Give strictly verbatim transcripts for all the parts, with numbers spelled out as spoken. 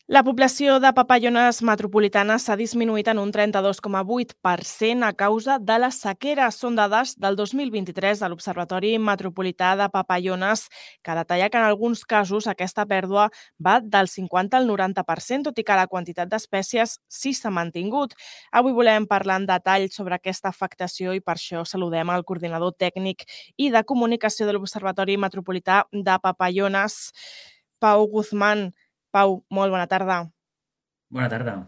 La població de papallones metropolitanes s'ha disminuït en un trenta-dos coma vuit per cent a causa de la sequera. Són dades del dos mil vint-i-tres de l'Observatori Metropolità de Papallones, que detalla que en alguns casos aquesta pèrdua va del cinquanta al noranta per cent, tot i que la quantitat d'espècies sí s'ha mantingut. Avui volem parlar en detall sobre aquesta afectació i per això saludem el coordinador tècnic i de comunicació de l'Observatori Metropolità de Papallones, Pau Guzmán. Pau, molt bona tarda. Bona tarda.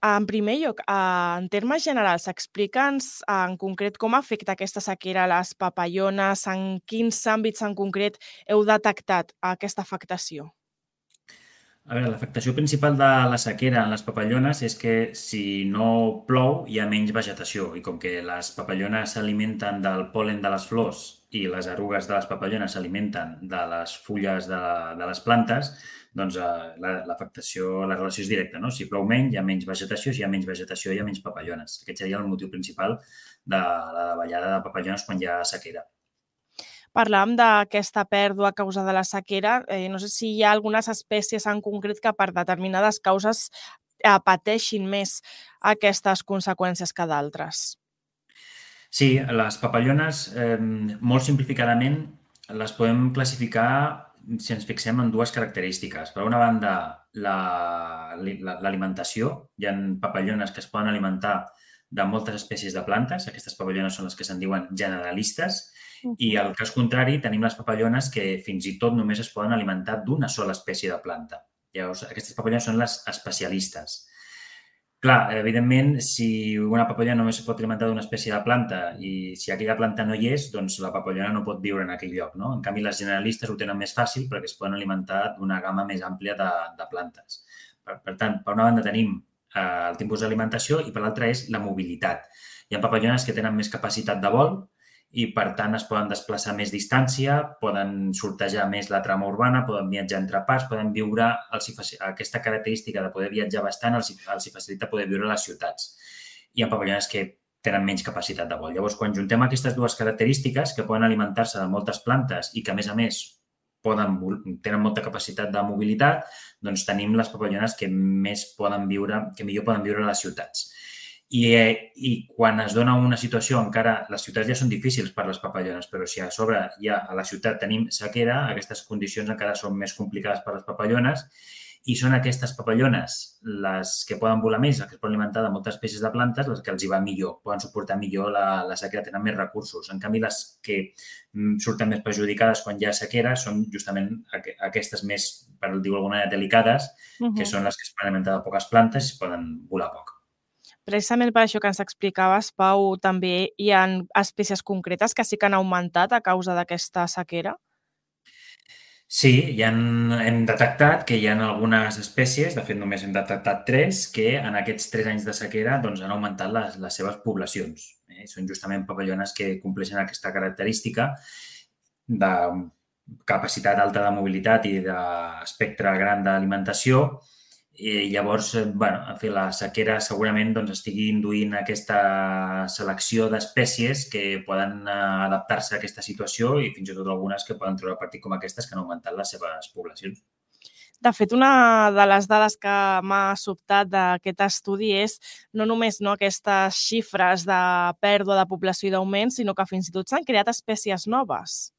En primer lloc, en termes generals, explica'ns en concret com afecta aquesta sequera a les papallones, en quins àmbits en concret heu detectat aquesta afectació? A veure, l'afectació principal de la sequera en les papallones és que si no plou hi ha menys vegetació i com que les papallones s'alimenten del pol·len de les flors i les erugues de les papallones s'alimenten de les fulles de, de les plantes, doncs eh, l'afectació, la relació és directa, no? Si plou menys, hi ha menys vegetació, si hi ha menys vegetació, hi ha menys papallones. Aquest seria el motiu principal de la davallada de papallones quan hi ha sequera. Parlàvem d'aquesta pèrdua a causa de la sequera. Eh, no sé si hi ha algunes espècies en concret que per determinades causes eh, pateixin més aquestes conseqüències que d'altres. Sí, les papallones, eh, molt simplificadament, les podem classificar si ens fixem en dues característiques. Per una banda, l'alimentació. Hi ha papallones que es poden alimentar de moltes espècies de plantes. Aquestes papallones són les que se'n diuen generalistes. Uh -huh. I al cas contrari, tenim les papallones que fins i tot només es poden alimentar d'una sola espècie de planta. Llavors, aquestes papallones són les especialistes. Clar, evidentment, si una papallona només es pot alimentar d'una espècie de planta i si aquella planta no hi és, doncs la papallona no pot viure en aquell lloc, no? En canvi, les generalistes ho tenen més fàcil perquè es poden alimentar d'una gamma més àmplia de, de plantes. Per, per tant, per una banda tenim eh, el tipus d'alimentació i per l'altra és la mobilitat. Hi ha papallones que tenen més capacitat de vol i, per tant, es poden desplaçar més distància, poden sortejar més la trama urbana, poden viatjar entre parts, poden viure... Aquesta característica de poder viatjar bastant els, els facilita poder viure a les ciutats. Hi ha papallones que tenen menys capacitat de vol. Llavors, quan juntem aquestes dues característiques, que poden alimentar-se de moltes plantes i que, a més a més, poden, tenen molta capacitat de mobilitat, doncs tenim les papallones que més poden viure, que millor poden viure a les ciutats. I, eh, I quan es dona una situació, encara les ciutats ja són difícils per les papallones, però si a sobre ja a la ciutat tenim sequera, aquestes condicions encara són més complicades per les papallones i són aquestes papallones les que poden volar més, les que es poden alimentar de moltes espècies de plantes, les que els hi va millor, poden suportar millor la, la sequera, tenen més recursos. En canvi, les que surten més perjudicades quan hi ha sequera són justament aquestes més, per dir-ho d'alguna manera, delicades, uh-huh. que són les que es poden alimentar de poques plantes i poden volar poc. Precisament per això que ens explicaves, Pau, també hi ha espècies concretes que sí que han augmentat a causa d'aquesta sequera? Sí, ja hem detectat que hi ha algunes espècies, de fet només hem detectat tres, que en aquests tres anys de sequera doncs, han augmentat les, les seves poblacions. Eh? Són justament papallones que compleixen aquesta característica de capacitat alta de mobilitat i d'espectre gran d'alimentació. I llavors, bueno, en fi, la sequera segurament doncs, estigui induint aquesta selecció d'espècies que poden adaptar-se a aquesta situació i fins i tot algunes que poden treure partit com aquestes que han augmentat les seves poblacions. De fet, una de les dades que m'ha sobtat d'aquest estudi és no només no, aquestes xifres de pèrdua de població i d'augment, sinó que fins i tot s'han creat espècies noves.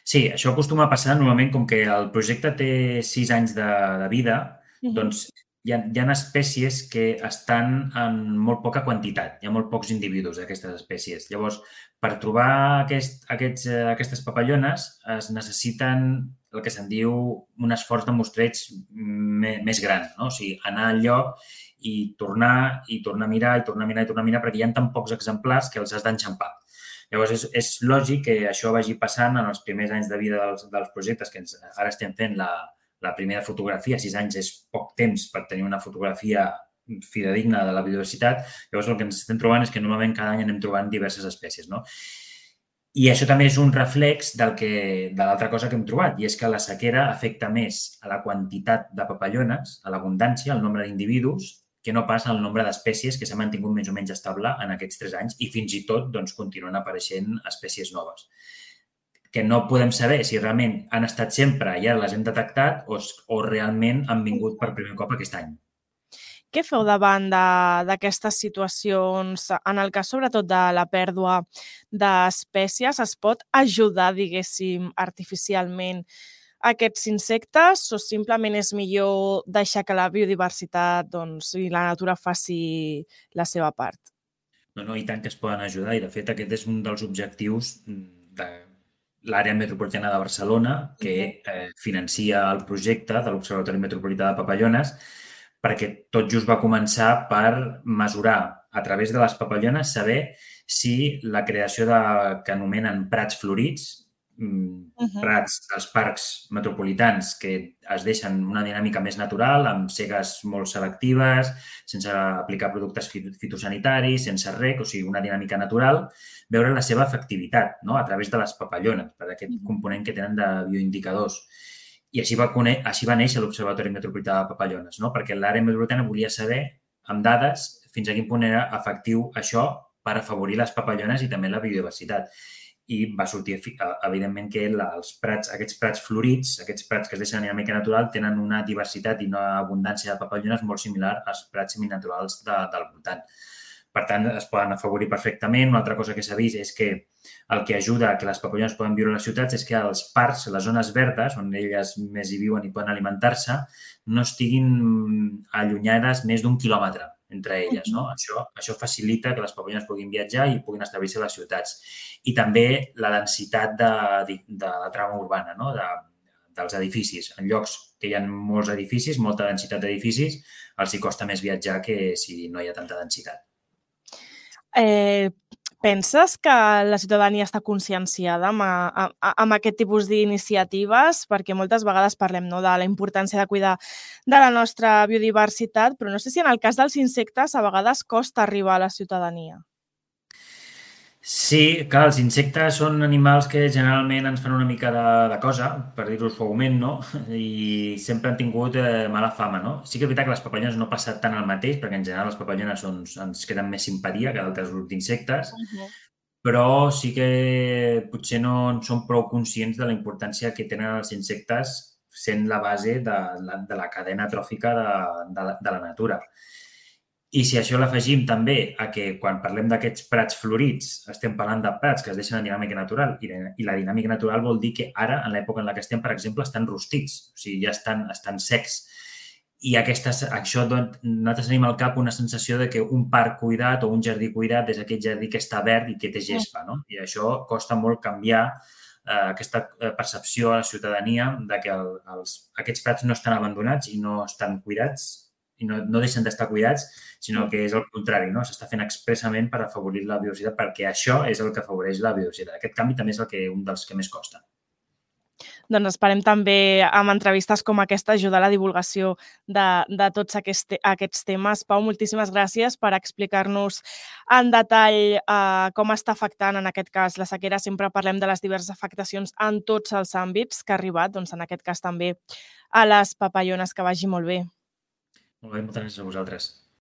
Sí, això acostuma a passar normalment com que el projecte té sis anys de, de vida, uh-huh. doncs hi ha, hi ha espècies que estan en molt poca quantitat, hi ha molt pocs individus d'aquestes espècies. Llavors, per trobar aquest, aquests, aquestes papallones es necessiten el que se'n diu un esforç de mostreig més gran, no? O sigui, anar al lloc i tornar, i tornar a mirar, i tornar a mirar, i tornar a mirar, perquè hi ha tan pocs exemplars que els has d'enxampar. Llavors, és, és lògic que això vagi passant en els primers anys de vida dels, dels projectes, que ens, ara estem fent la, la primera fotografia. Sis anys és poc temps per tenir una fotografia fidedigna de la biodiversitat. Llavors, el que ens estem trobant és que normalment cada any anem trobant diverses espècies, no? I això també és un reflex del que, de l'altra cosa que hem trobat, i és que la sequera afecta més a la quantitat de papallones, a l'abundància, al nombre d'individus, que no pas el nombre d'espècies que s'ha mantingut més o menys estable en aquests tres anys i fins i tot doncs, continuen apareixent espècies noves. que no podem saber si realment han estat sempre i ara les hem detectat o, o realment han vingut per primer cop aquest any. Què feu davant d'aquestes situacions? En el cas, sobretot, de la pèrdua d'espècies, es pot ajudar, diguéssim, artificialment aquests insectes o simplement és millor deixar que la biodiversitat doncs, i la natura faci la seva part? No, no, i tant que es poden ajudar i, de fet, aquest és un dels objectius de l'àrea metropolitana de Barcelona que eh, financia el projecte de l'Observatori Metropolità de Papallones, perquè tot just va començar per mesurar a través de les papallones, saber si la creació de, que anomenen prats florits, prats dels parcs metropolitans que es deixen una dinàmica més natural, amb segues molt selectives, sense aplicar productes fitosanitaris, sense rec, o sigui, una dinàmica natural, veure la seva efectivitat, no?, a través de les papallones, per aquest component que tenen de bioindicadors. I així va, així va néixer l'Observatori Metropolità de Papallones, no?, perquè l'àrea metropolitana volia saber, amb dades, fins a quin punt era efectiu això per afavorir les papallones i també la biodiversitat. I va sortir, evidentment, que els prats, aquests prats florits, aquests prats que es deixen en dinàmica natural, tenen una diversitat i una abundància de papallones molt similar als prats seminaturals de, del voltant. Per tant, es poden afavorir perfectament. Una altra cosa que s'ha vist és que el que ajuda a que les papallones poden viure a les ciutats és que els parcs, les zones verdes, on elles més hi viuen i poden alimentar-se, no estiguin allunyades més d'un quilòmetre entre elles. No? Això, això facilita que les papallones puguin viatjar i puguin establir-se a les ciutats. I també la densitat de, de la trama urbana, no? de, dels edificis. En llocs que hi ha molts edificis, molta densitat d'edificis, els hi costa més viatjar que si no hi ha tanta densitat. Eh, penses que la ciutadania està conscienciada amb, a, amb aquest tipus d'iniciatives? Perquè moltes vegades parlem, no?, de la importància de cuidar de la nostra biodiversitat, però no sé si en el cas dels insectes a vegades costa arribar a la ciutadania. Sí, clar, els insectes són animals que generalment ens fan una mica de, de cosa, per dir-ho suaument, no? I sempre han tingut eh, mala fama, no? Sí que és veritat que les papallones no passa tant el mateix, perquè en general les papallones són, ens queden més simpatia que d'altres grups d'insectes, uh-huh. però sí que potser no són prou conscients de la importància que tenen els insectes sent la base de la, de la cadena tròfica de, de, la, de la natura. I si això l'afegim també a que quan parlem d'aquests prats florits estem parlant de prats que es deixen en dinàmica natural i la dinàmica natural vol dir que ara, en l'època en la que estem, per exemple, estan rostits, o sigui, ja estan, estan secs. I aquestes, això, doncs, nosaltres tenim al cap una sensació de que un parc cuidat o un jardí cuidat és aquest jardí que està verd i que té gespa, no? I això costa molt canviar eh, aquesta percepció a la ciutadania de que el, els, aquests prats no estan abandonats i no estan cuidats i no, no deixen d'estar cuidats, sinó que és el contrari, no? S'està fent expressament per afavorir la biodiversitat, perquè això és el que afavoreix la biodiversitat. Aquest canvi també és el que, un dels que més costa. Doncs esperem també amb entrevistes com aquesta ajudar a la divulgació de, de tots aquests, aquests temes. Pau, moltíssimes gràcies per explicar-nos en detall eh, com està afectant, en aquest cas, la sequera. Sempre parlem de les diverses afectacions en tots els àmbits que ha arribat, doncs en aquest cas també a les papallones. Que vagi molt bé. Molt bé, moltes gràcies a vosaltres.